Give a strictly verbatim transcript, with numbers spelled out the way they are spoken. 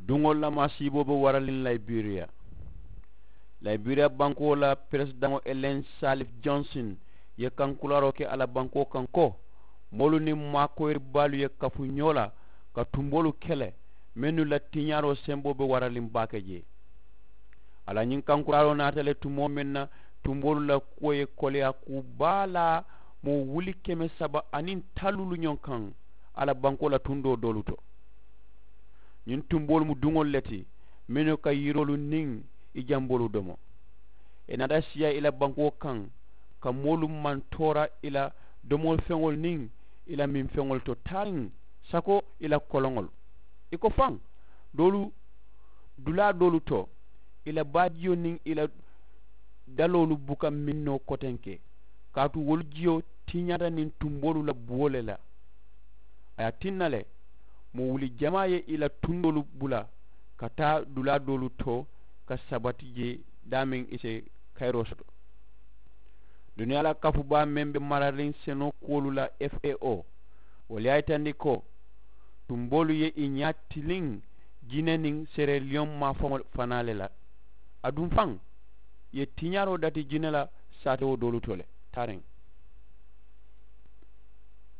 Duŋolu la maasiiboo be waraliŋ layiberiya. Layiberiya bankoo la peresidaŋo elen salif jonson ye kankuraaroo ke a la bankoo kaŋ ko, moolu niŋ maakoyiri baalu ye kafu ñoo la ka tumboolu kele mennu la tiñaaroo semboo be waraliŋ baake jee. A la ñiŋ kankuraaroo naata le tumoo meŋ na, tumboolu la kuwo ye koleyaa kuu baa la moo wuli keme saba aniŋ talluulu ñoŋ kaŋ a la bankoo la tundoo doolu to. Ñiŋ tumboolu mu duŋolu le ti mennu ka yiroolu niŋ i jamboolu domo. Ì naata siyaa i la bankoo kaŋ ka moolu mantoora i la domofeŋolu niŋ i la minfeŋolu to taariŋ sako i la koloŋolu. I ko faŋ doolu dulaa doolu to i la baajiyo niŋ i la daloolu buka miŋ noo kotenke kaatu wolu jiyo tiñaata niŋ tumboolu la buwo le la. A ye a tinna le moo wuli jamaa ye i la tundoolu bula ka taa dulaa doolu to ka sabati jee daameŋ i si kayiroo soto. Duniyaa la kafubaa meŋ be marariŋ senoo kuwolu la fao wolu ye a yitandi ko tumboolu ye i ñaa tiliŋ jine niŋ sereliyoŋ maafaŋo fanaa le la. Aduŋ faŋ ì ye tiñaaroo dati jine la saatewo doolu to le taariŋ.